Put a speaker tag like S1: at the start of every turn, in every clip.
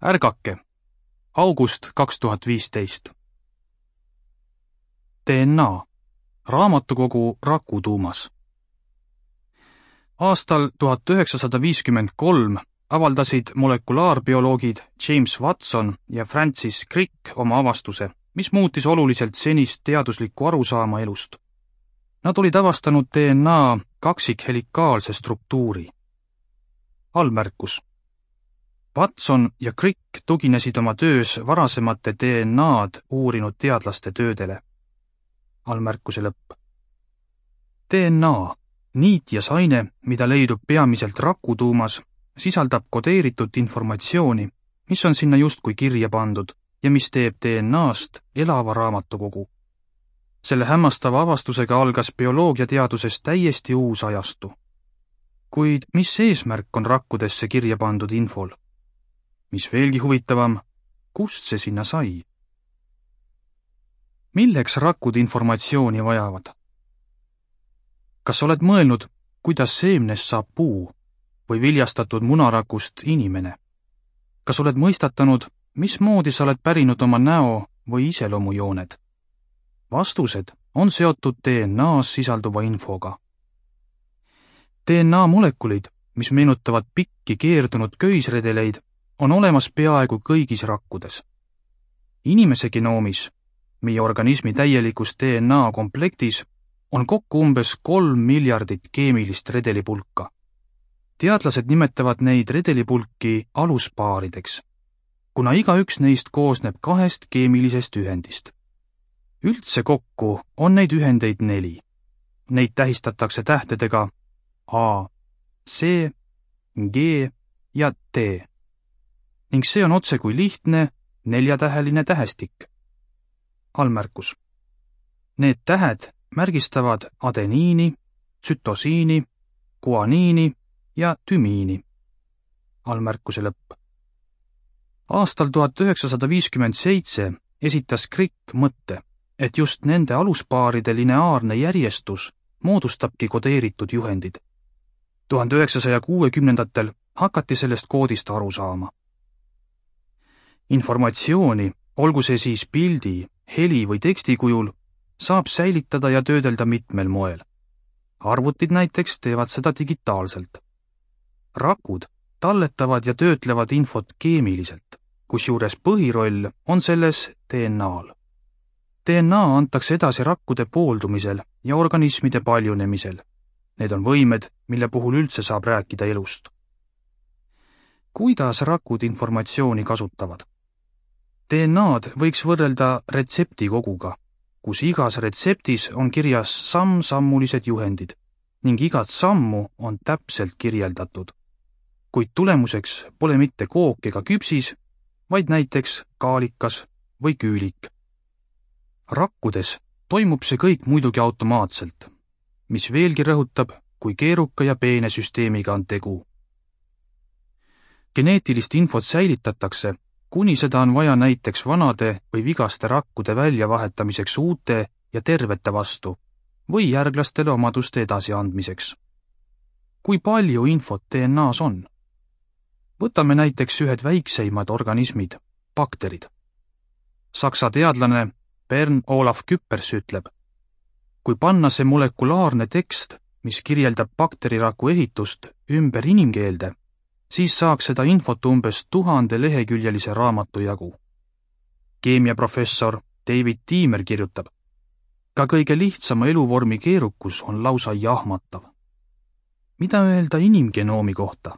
S1: Ärgake! August 2015. DNA. Raamatukogu Rakutuumas. Aastal 1953 avaldasid molekulaarbioloogid James Watson ja Francis Crick oma avastuse, mis muutis oluliselt senist teaduslikku arusaama elust. Nad olid avastanud DNA kaksikhelikaalse struktuuri. Allmärkus. Watson ja Crick tuginesid oma töös varasemate DNA-d uurinud teadlaste töödele. Allmärkuse lõpp. DNA, niit ja saine, mida leidub peamiselt rakutuumas, sisaldab kodeeritud informatsiooni, mis on sinna justkui kirja pandud ja mis teeb DNA-st elava raamatukogu. Selle hämmastava avastusega algas bioloogiateaduses täiesti uus ajastu. Kuid mis eesmärk on rakkudesse kirja pandud infol? Mis veelgi huvitavam, kust see sinna sai? Milleks rakud informatsiooni vajavad? Kas oled mõelnud, kuidas seemnest saab puu või viljastatud munarakust inimene? Kas oled mõistatanud, mismoodi sa oled pärinud oma näo või iseloomujooned? Vastused on seotud DNA-s sisalduva infoga. DNA molekulid, mis meenutavad pikki keerdunud köisredeleid, on olemas peaaegu kõigis rakkudes. Inimese genoomis, meie organismi täielikus DNA komplektis, on kokku umbes 3 miljardit keemilist redelipulka. Teadlased nimetavad neid redelipulki aluspaarideks, kuna igaüks neist koosneb 2 keemilisest ühendist. Üldse kokku on neid ühendeid 4. Neid tähistatakse tähtedega A, C, G ja T. Ning see on otse kui lihtne 4-täheline tähestik. Allmärkus. Need tähed märgistavad adeniini, tsütosiini, guaniini ja tümiini. Allmärkuse lõpp. Aastal 1957 esitas Crick mõtte, et just nende aluspaaride lineaarne järjestus moodustabki kodeeritud juhendid. 1960-ndatel hakati sellest koodist aru saama. Informatsiooni, olgu see siis pildi, heli või teksti kujul, saab säilitada ja töödelda mitmel moel. Arvutid näiteks teevad seda digitaalselt. Rakud talletavad ja töötlevad infot keemiliselt, kusjuures põhiroll on selles DNA-l. DNA antakse edasi rakkude pooldumisel ja organismide paljunemisel. Need on võimed, mille puhul üldse saab rääkida elust. Kuidas rakud informatsiooni kasutavad? DNA-d võiks võrrelda retseptikoguga, kus igas retseptis on kirjas samm-sammulised juhendid ning igat sammu on täpselt kirjeldatud. Kuid tulemuseks pole mitte kook ega küpsis, vaid näiteks kaalikas või küülik. Rakkudes toimub see kõik muidugi automaatselt, mis veelgi rõhutab, kui keeruka ja peene süsteemiga on tegu. Geneetilist infot säilitatakse, kuni seda on vaja näiteks vanade või vigaste rakkude väljavahetamiseks uute ja tervete vastu või järglastele omaduste edasiandmiseks. Kui palju infot DNA-s on? Võtame näiteks ühed väikseimad organismid, bakterid. Saksa teadlane Bernd Olaf Küppers ütleb, kui panna see molekulaarne tekst, mis kirjeldab bakteriraku ehitust, ümber inimkeelde, siis saaks seda infot umbes 1000 leheküljelise raamatu jagu. Keemiaprofessor David Tiimer kirjutab, ka kõige lihtsama eluvormi keerukus on lausa jahmatav. Mida öelda inimgenoomi kohta?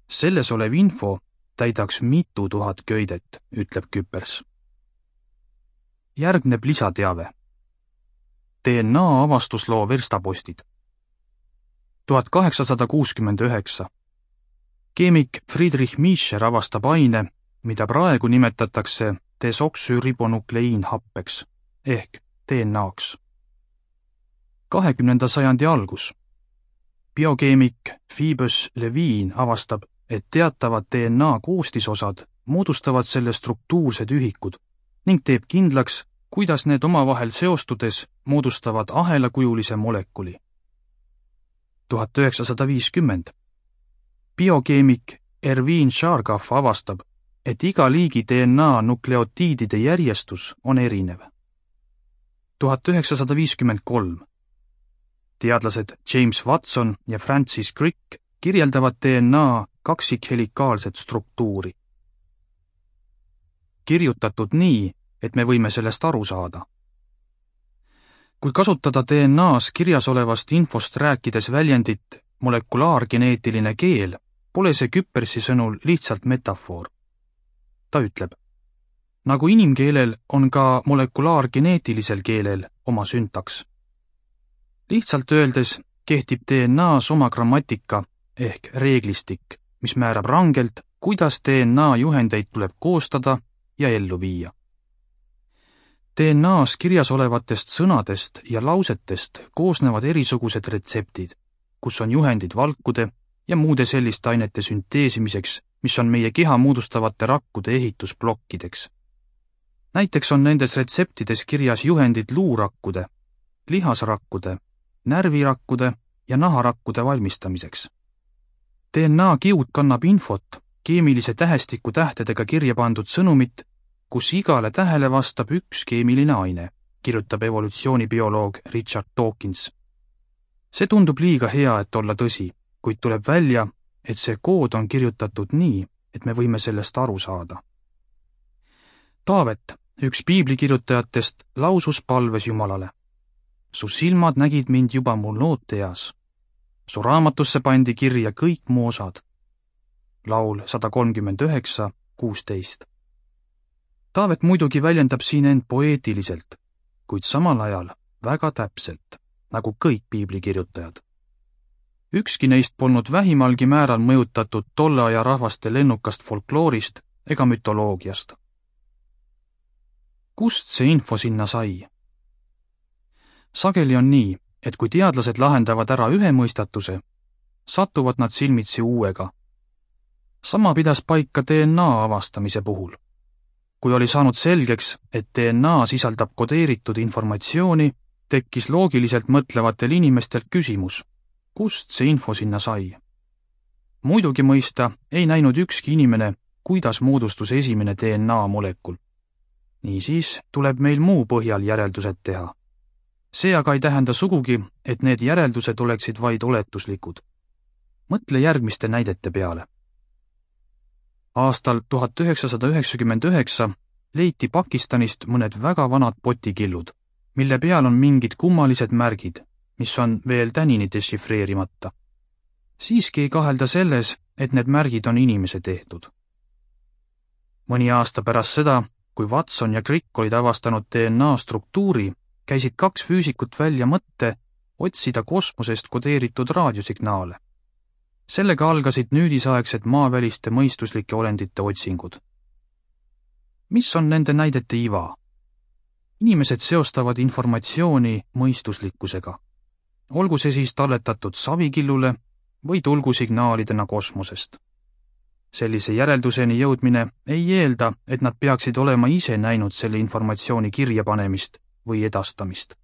S1: Selles olev info täidaks mitu tuhat köidet, ütleb Küppers. Järgneb lisateave. DNA avastusloo verstapostid. 1869. Keemik Friedrich Miescher avastab aine, mida praegu nimetatakse desoksüribonukleiinhappeks ehk DNA-ks. 20. sajandi algus. Biokeemik Phoebus Levine avastab, et teatavad DNA koostisosad moodustavad selle struktuursed ühikud ning teeb kindlaks, kuidas need omavahel seostudes moodustavad ahelakujulise molekuli. 1950. Biokeemik Erwin Chargaff avastab, et iga liigi DNA nukleotiidide järjestus on erinev. 1953. Teadlased James Watson ja Francis Crick kirjeldavad DNA kaksikhelikaalset struktuuri. Kirjutatud nii, et me võime sellest aru saada. Kui kasutada DNA-s kirjas olevast infost rääkides väljendit molekulaargeneetiline keel, pole see Küppersi sõnul lihtsalt metafoor. Ta ütleb, nagu inimkeelel on ka molekulaargeneetilisel keelel oma süntaks. Lihtsalt öeldes kehtib DNA-s oma grammatika ehk reeglistik, mis määrab rangelt, kuidas DNA juhendeid tuleb koostada ja ellu viia. DNA-s kirjas olevatest sõnadest ja lausetest koosnevad erisugused retseptid, kus on juhendid valkude ja muude selliste ainete sünteesimiseks, mis on meie keha moodustavate rakkude ehitusblokkideks. Näiteks on nendes retseptides kirjas juhendid luurakkude, lihasrakkude, närvirakkude ja naharakkude valmistamiseks. DNA kiud kannab infot, keemilise tähestiku tähtedega kirja pandud sõnumit, kus igale tähele vastab üks keemiline aine, kirjutab evolutsioonibioloog Richard Dawkins. See tundub liiga hea, et olla tõsi, kuid tuleb välja, et see kood on kirjutatud nii, et me võime sellest aru saada. Taavet, üks piiblikirjutajatest, lausus palves Jumalale. Su silmad nägid mind juba mu looteeas. Su raamatusse pandi kirja kõik mu osad. Laul 139:16. Taavet muidugi väljendab siin end poeetiliselt, kuid samal ajal väga täpselt, nagu kõik piiblikirjutajad. Ükski neist polnud vähimalgi määral mõjutatud tolle aja rahvaste lennukast folkloorist ega mütoloogiast. Kust see info sinna sai? Sageli on nii, et kui teadlased lahendavad ära ühe mõistatuse, satuvad nad silmitsi uuega. Sama pidas paika DNA avastamise puhul. Kui oli saanud selgeks, et DNA sisaldab kodeeritud informatsiooni, tekkis loogiliselt mõtlevatel inimestel küsimus, kust see info sinna sai. Muidugi mõista ei näinud ükski inimene, kuidas moodustus esimene DNA molekul. Niisiis tuleb meil muu põhjal järeldused teha. See aga ei tähenda sugugi, et need järeldused oleksid vaid oletuslikud. Mõtle järgmiste näidete peale. Aastal 1999 leiti Pakistanist mõned väga vanad potikillud, mille peal on mingid kummalised märgid, mis on veel tänini dešifreerimata. Siiski ei kahelda selles, et need märgid on inimese tehtud. Mõni aasta pärast seda, kui Watson ja Crick olid avastanud DNA struktuuri, käisid kaks füüsikut välja mõtte otsida kosmosest kodeeritud raadiosignaale. Sellega algasid nüüdisaegsed maaväliste mõistuslike olendite otsingud. Mis on nende näidete iva? Inimesed seostavad informatsiooni mõistuslikkusega. Olgu see siis talletatud savikillule või tulgusignaalidena kosmosest. Sellise järelduseni jõudmine ei eelda, et nad peaksid olema ise näinud selle informatsiooni kirjapanemist või edastamist.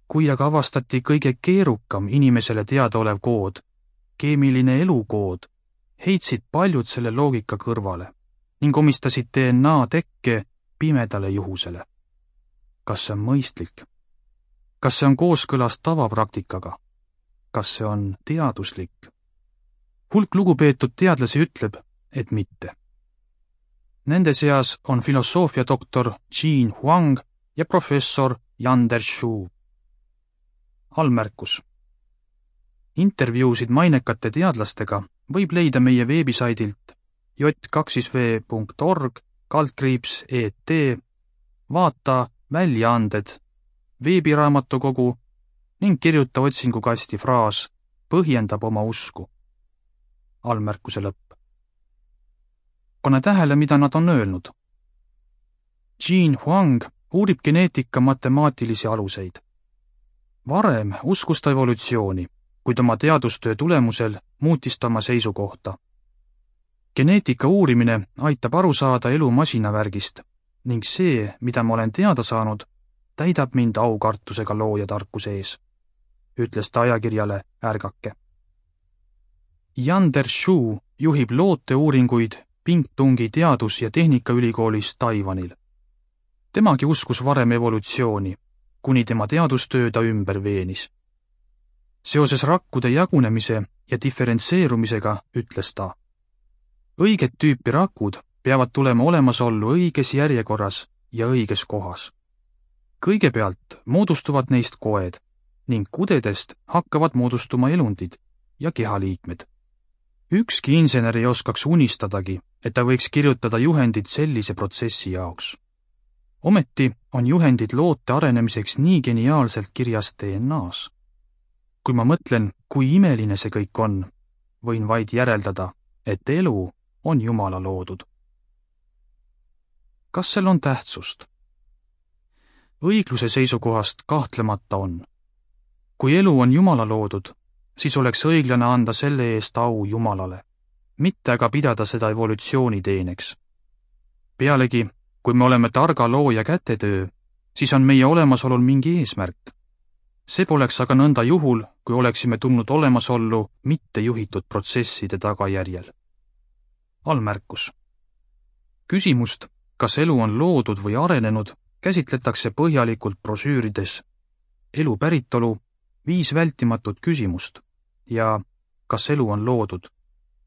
S1: Kui aga avastati kõige keerukam inimesele teadaolev kood, keemiline elukood, heitsid paljud selle loogika kõrvale ning omistasid DNA tekke pimedale juhusele. Kas see on mõistlik? Kas see on kooskõlas tavapraktikaga? Kas see on teaduslik? Hulk lugupeetud teadlasi ütleb, et mitte. Nende seas on filosoofia doktor Jean Huang ja professor Yander Shu. Allmärkus. Intervjuusid mainekate teadlastega võib leida meie veebisaidilt j2v.org/et, vaata väljaanded, veebiraamatukogu ning kirjuta otsingukasti fraas põhjendab oma usku. Allmärkuse lõpp. Pane tähele, mida nad on öelnud. Jean Huang uurib geneetika matemaatilisi aluseid. Varem uskus ta evolutsiooni, kuid oma teadustöö tulemusel muutis ta oma seisukohta. Geneetika uurimine aitab aru saada elu masinavärgist ning see, mida ma olen teada saanud, täidab mind aukartusega looja tarkuse ees, ütles ta ajakirjale Ärgake. Yander Shu juhib looteuuringuid Pingtungi teadus- ja tehnikaülikoolis Taiwanil. Temagi uskus varem evolutsiooni, kuni tema teadustöö ta ümber veenis. Seoses rakkude jagunemise ja diferentseerumisega ütles ta: õiget tüüpi rakud peavad tulema olemasollu õiges järjekorras ja õiges kohas. Kõigepealt moodustuvad neist koed ning kudedest hakkavad moodustuma elundid ja kehaliikmed. Ükski insener ei oskaks unistadagi, et ta võiks kirjutada juhendid sellise protsessi jaoks. Ometi on juhendid loote arenemiseks nii geniaalselt kirjas DNA-s. Kui ma mõtlen, kui imeline see kõik on, võin vaid järeldada, et elu on Jumala loodud. Kas sel on tähtsust? Õigluse seisukohast kahtlemata on. Kui elu on Jumala loodud, siis oleks õiglane anda selle eest au Jumalale, mitte aga pidada seda evolutsiooni teeneks. Pealegi, kui me oleme targa looja kätetöö, siis on meie olemasolul mingi eesmärk. See poleks aga nõnda juhul, kui oleksime tulnud olemasollu mittejuhitud protsesside tagajärjel. Allmärkus. Küsimust, kas elu on loodud või arenenud, käsitletakse põhjalikult brošüürides Elu päritolu, 5 vältimatut küsimust ja Kas elu on loodud,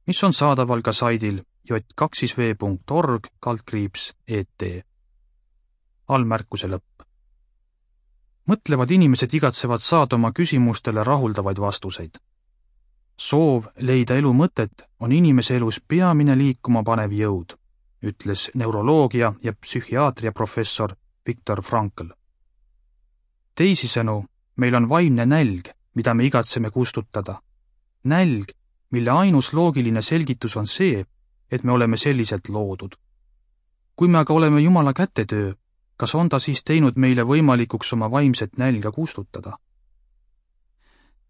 S1: mis on saadaval ka saidil j2v.org/et. Allmärkuse lõpp. Mõtlevad inimesed igatsevad saada oma küsimustele rahuldavaid vastuseid. Soov leida elu mõtet on inimese elus peamine liikuma panev jõud, ütles neuroloogia ja psühhiaatria professor Viktor Frankl. Teisisõnu, meil on vaimne nälg, mida me igatseme kustutada. Nälg, mille ainus loogiline selgitus on see, et me oleme selliselt loodud. Kui me aga oleme Jumala kätetöö, kas on ta siis teinud meile võimalikuks oma vaimset nälga kustutada?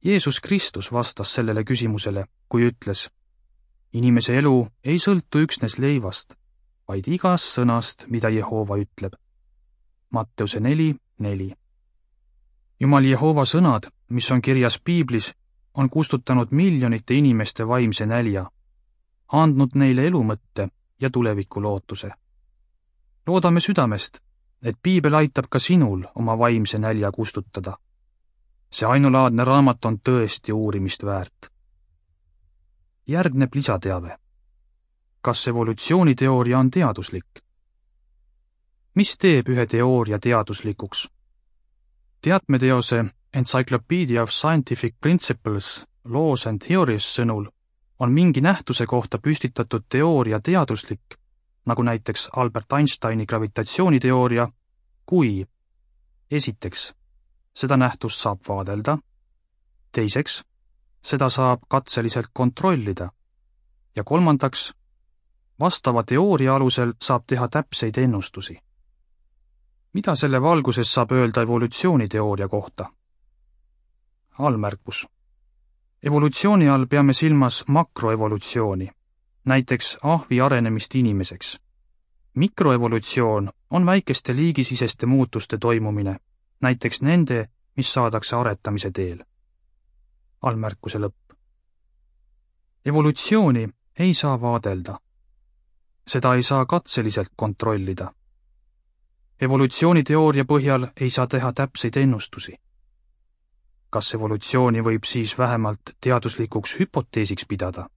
S1: Jeesus Kristus vastas sellele küsimusele, kui ütles: inimese elu ei sõltu üksnes leivast, vaid igast sõnast, mida Jehova ütleb. Matteuse 4:4. Jumal Jehova sõnad, mis on kirjas piiblis, on kustutanud miljonite inimeste vaimse nälja, andnud neile elumõtte ja tuleviku lootuse. Loodame südamest, et piibel aitab ka sinul oma vaimse nälja kustutada. See ainulaadne raamat on tõesti uurimist väärt. Järgneb lisateave. Kas evolutsiooniteooria on teaduslik? Mis teeb ühe teooria teaduslikuks? Teatmeteose Encyclopedia of Scientific Principles, Laws and Theories sõnul on mingi nähtuse kohta püstitatud teooria teaduslik, nagu näiteks Albert Einsteini gravitatsiooniteooria, kui esiteks, seda nähtust saab vaadelda, teiseks, seda saab katseliselt kontrollida ja kolmandaks, vastava teooria alusel saab teha täpseid ennustusi. Mida selle valguses saab öelda evolutsiooniteooria kohta? Allmärkus. Evolutsiooni all peame silmas makroevolutsiooni, näiteks ahvi arenemist inimeseks. Mikroevolutsioon on väikeste liigisiseste muutuste toimumine, näiteks nende, mis saadakse aretamise teel. Allmärkuse lõpp. Evolutsiooni ei saa vaadelda. Seda ei saa katseliselt kontrollida. Evolutsiooniteooria põhjal ei saa teha täpseid ennustusi. Kas evolutsiooni võib siis vähemalt teaduslikuks hüpoteesiks pidada?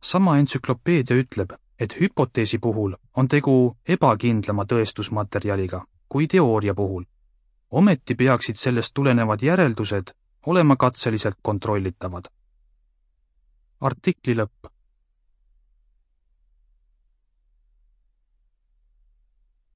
S1: Sama entsüklopeedia ütleb, et hüpoteesi puhul on tegu ebakindlama tõestusmaterjaliga kui teooria puhul. Ometi peaksid sellest tulenevad järeldused olema katseliselt kontrollitavad. Artikli lõpp.